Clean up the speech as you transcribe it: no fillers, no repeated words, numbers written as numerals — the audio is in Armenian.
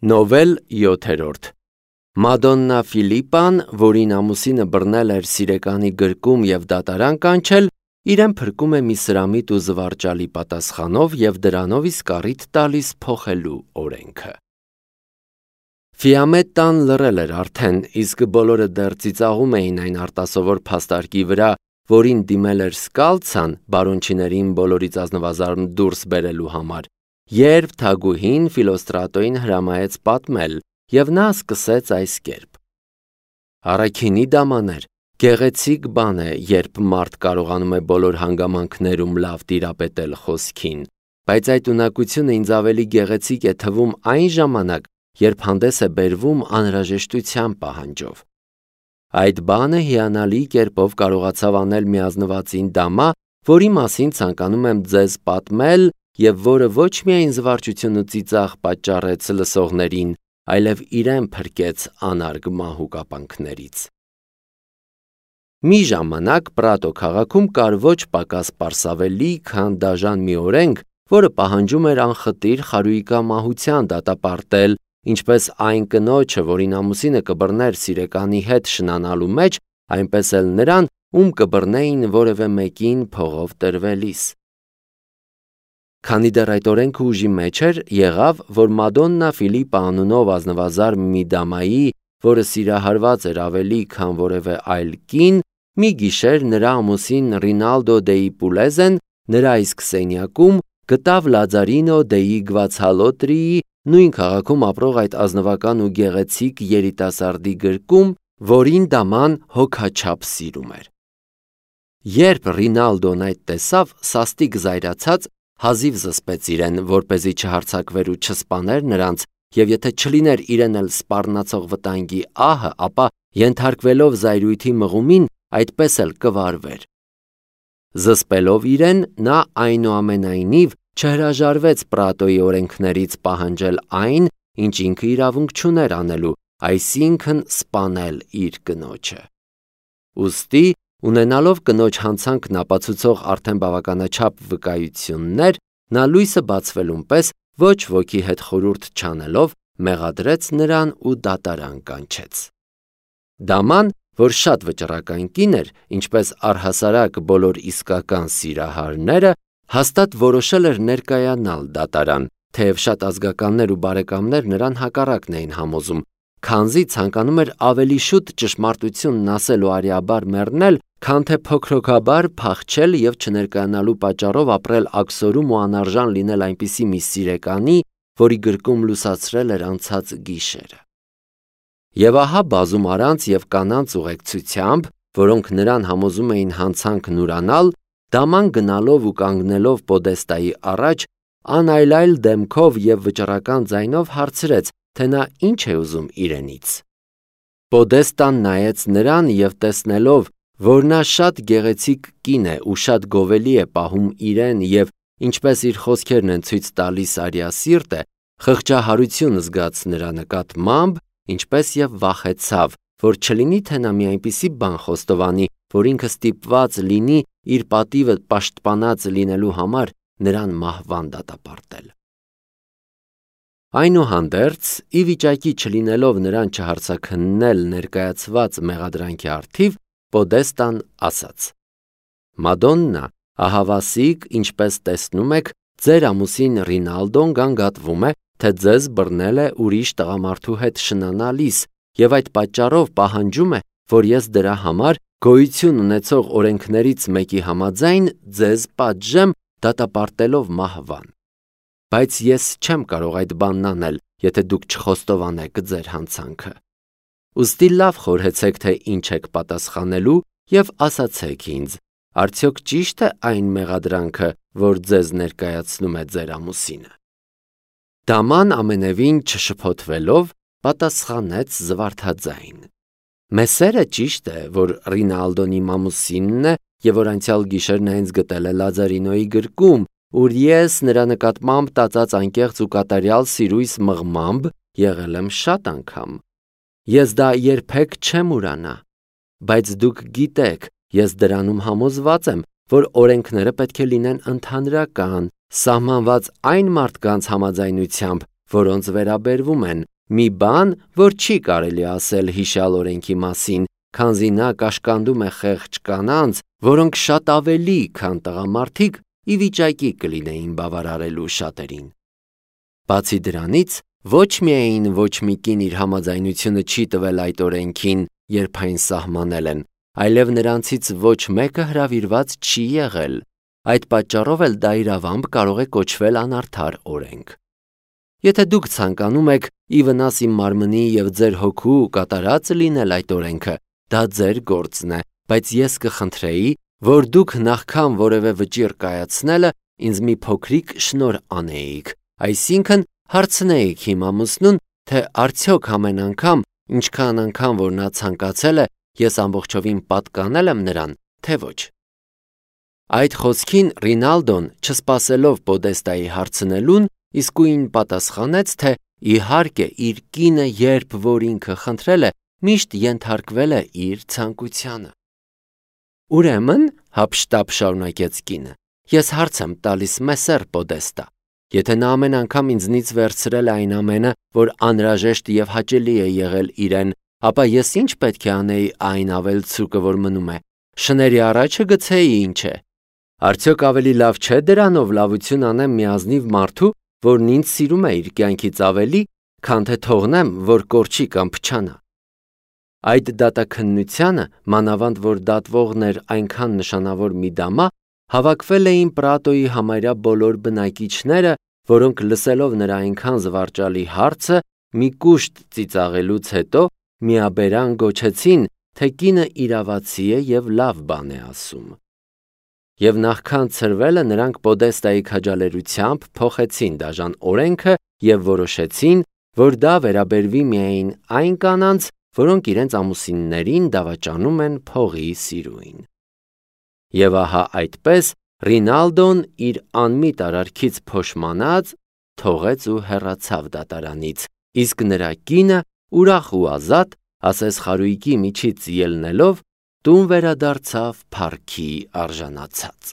Նովել 7-րդ Մադոննա Ֆիլիպան, որին ամուսինը բռնել էր սիրեկանի գրկում և դատարան կանչել, իրեն փրկում է մի սրամիտ ու զվարճալի պատասխանով և դրանով իսկ առիթ տալիս փոխելու օրենքը։ Ֆիամետտան լռել էր արդեն, իսկ բոլորը դեռ ծիծաղում էին այն արտասովոր փաստարկի վրա, որին դիմել էր Սկալցան բարոնչիներին բոլորից ազնվազարդ դուրս բերելու համար, երբ թագուհին Ֆիլոստրատոյին հրամայեց պատմել, և նա սկսեց այս կերպ. Առաքինի դամաներ, գեղեցիկ բան է, երբ մարդ կարողանում է բոլոր հանգամանքներում լավ տիրապետել խոսքին, բայց այդ ունակությունը ինձ ավելի գեղեցիկ է թվում այն ժամանակ, երբ հանդես է բերվում անհրաժեշտության պահանջով։ Այդ բանը հիանալի կերպով կարողացավ անել մի ազնվածին դամա, որի մասին ցանկանում եմ ձեզ պատմել և որը ոչ միայն զվարճություն ու ծիծաղ պատճառեց լսողներին, այլև իրեն փրկեց անարգ մահու կապանքներից։ Մի ժամանակ Պրատո քաղաքում կար ոչ պակաս պարսավելի, քան դաժան մի օրենք, որը պահանջում էր անխտիր խարույկամահության դատապարտել ինչպես այն կնոջը, որին ամուսինը կբռներ սիրեկանի հետ շնանալու մեջ, այնպես էլ նրան, ում կբռնեին որևէ մեկին փողով տրվելիս։ Քանի դեռ այդ օրենքը ուժի մեջ էր, եղավ, որ Մադոննա Ֆիլիպա անունով ազնվազարդ մի դամայի, որը սիրահարված էր ավելի, քան որևէ այլ կին, մի գիշեր նրա ամուսին Ռինալդո դեի Պուլեզեն նրա իսկ սենյակում գտավ Լաձարինո դեի Գվացալոտրիի նույն քաղաքում ապրող այդ ազնվական ու գեղեցիկ երիտասարդի գրկում, որին դաման հոգաչափ սիրում էր։ Երբ Ռինալդոն այդ տեսավ, սաստիկ զայրացած, հազիվ զսպեց իրեն, որպեսզի չհարձակվեր ու չսպաներ նրանց, և եթե չլիներ իրեն էլ սպառնացող վտանգի ահը, ապա ենթարկվելով զայրույթի մղումին, այդպես էլ կվարվեր։ Զսպելով իրեն, նա այնուամենայնիվ չհրաժարվեց Պրատոյի օրենքներից պահանջել այն, ինչ ինքը իրավունք չուներ անելու, այսինքն սպանել իր կնոջը։ Ուստի, ունենալով կնոջ հանցանքն ապացուցող արդեն բավականաչափ վկայություններ, նա լույսը բացվելուն պես ոչ ոքի հետ խորհուրդ չանելով, մեղադրեց նրան ու դատարան կանչեց։ Դաման, որ շատ վճռական կին էր, ինչպես առհասարակ բոլոր իսկական սիրահարները, հաստատ որոշել էր ներկայանալ դատարան, թեև շատ ազգականներ ու բարեկամներ նրան հակառակն էին համոզում, քանզի ցանկանում էր ավելի շուտ ճշմարտությունն ասել ու արիաբար մեռնել, քան թե փոքրոքաբար փախչել և չներկայանալու պատճառով ապրել աքսորում ու անարժան լինել այնպիսի մի սիրեկանի, որի գրկում լուսացրել էր անցած գիշերը։ Եվ ահա բազում առանց և կանանց ուղեկցությամբ, որոնք նրան համոզում էին հանցանքն ուրանալ, դաման գնալով ու կանգնելով պոդեստայի առաջ, անայլայլ դեմքով և վճռական ձայնով հարցրեց, թե նա ինչ է ուզում իրենից։ Պոդեստան նայեց նրան և տեսնելով, որ նա շատ գեղեցիկ կին է ու շատ գովելի է պահում իրեն և ինչպես իր խոսքերն են ցույց տալիս արիասիրտ է, խղճահարություն զգաց նրա նկատմամբ, ինչպես և վախեցավ, որ չլինի թե նա մի այնպիսի բան խոստովանի, որ ինքը ստիպված լինի իր պատիվը պաշտպանած լինելու համար նրան մահվան դատապարտել։ Այնուհանդերձ, ի վիճակի չլինելով նրան չհարձաքննել ներկայացված մեղադրանքի առթիվ, Պոդեստան ասաց. Մադոննա, ահավասիկ, ինչպես տեսնում եք, ձեր ամուսին Ռինալդոն գանգատվում է, թե ձեզ բռնել է ուրիշ տղամարդու հետ շնանալիս և այդ պատճառով պահանջում է, որ ես դրա համար գոյություն ունեցող օրենքներից մեկի համաձայն ձեզ պատժեմ դատապարտելով մահվան։ Բայց ես չեմ կարող այդ բանն անել, եթե դուք չխոստովանեք ձեր հանցանքը։ Ուստի լավ խորհեցեք, թե ինչ եք պատասխանելու և ասացեք ինձ, արդյոք ճի՞շտ է այն մեղադրանքը, որ ձեզ ներկայացնում է ձեր ամուսինը։ Դաման ամենևին չշփոթվելով պատասխանեց զվարթաձայն. Մեսերը ճիշտ է, որ Ռինալդոն իմ ամուսինն է և որ անցյալ գիշեր նա ինձ գտել է Լաձարինոյի գրկում, ուր ես նրա նկատմամբ տածած անկեղծ ու կատարյալ սիրույս մղմամբ եղել եմ շատ անգամ։ Ես դա երբեք չեմ ուրանա, բայց դուք գիտեք, ես դրանում համոզված եմ, որ օրենքները պետք է լինեն ընդհանրական, սահմանված այն մարդկանց համաձայնությամբ, որոնց վերաբերվում են, մի բան, որ չի կարելի ասել հիշյալ օրենքի մասին, քանզի նա կաշկանդում է խեղճ կանանց, որոնք շատ ավելի, քան տղամարդիկ, ի վիճակի կլինեին բավարարելու շատերին։ Բացի դրանից, ոչ միայն ոչ մի կին իր համաձայնությունը չի տվել այդ օրենքին, երբ այն սահմանել են, այլև նրանցից ոչ մեկը հրավիրված չի եղել։ Այդ պատճառով էլ դա իրավամբ կարող է կոչվել անարդար օրենք։ Եթե դուք ցանկանում եք ի վնաս իմ մարմնի և ձեր հոգու կատարած լինել այդ օրենքը, դա ձեր գործն է, բայց ես կխնդրեի, որ դուք նախքան որևէ վճիռ կայացնելը ինձ մի փոքրիկ շնորհ անեիք, այսինքն հարցնեիք իմ ամուսնուն, թե արդյոք ամեն անգամ, ինչքան անգամ որ նա ցանկացել է, ես ամբողջովին պատկանել եմ նրան, թե ոչ։ Այդ խոսքին Ռինալդոն, չսպասելով Պոդեստայի հարցնելուն, իսկույն պատասխանեց, թե իհարկե իր կինը, երբ որ ինքը խնդրել է, միշտ ենթարկվել է իր ցանկությանը։ Ուրեմն, հափշտապ շարունակեց կինը, ես հարց եմ տալիս Մեսեր Պոդեստա, եթե նա ամեն անգամ ինձնից վերցրել է այն ամենը, որ անհրաժեշտ և հաճելի է եղել իրեն, ապա ես ինչ պետք է անեի այն ավելցուկը, որ մնում է, շների առաջը գցեի ինչ է։ Արդյոք ավելի լավ չէ դրանով լավություն անեմ մի ազնիվ մարդու, որն ինձ սիրում է իր կյանքից ավելի, քան թե թողնեմ, որ կորչի կամ փչանա։ Այդ դատաքննությանը, մանավանդ որ դատվողն էր այնքան նշանավոր մի դամա, հավաքվել էին Պրատոյի համարյա բոլոր բնակիչները, որոնք լսելով նրա այնքան զվարճալի հարցը, մի կուշտ ծիծաղելուց հետո միաբերան գոչեցին, թե կինը իրավացի է և լավ բան է ասում։ Եվ նախքան ցրվելը նրանք Պոդեստայի քաջալերությամբ փոխեցին դաժան օրենքը և որոշեցին, որ դա վերաբերվի միայն այն կանանց, որոնք իրենց ամուսիններին դավաճանում են փողի սիրույն։ Եվ ահա այդպես Ռինալդոն իր անմիտ արարքից փոշմանած թողեց ու հեռացավ դատարանից, իսկ նրա կինը ուրախ ու ազատ, ասես խարույկի միջից ելնելով, տուն վերադարձավ փառքի արժանացած։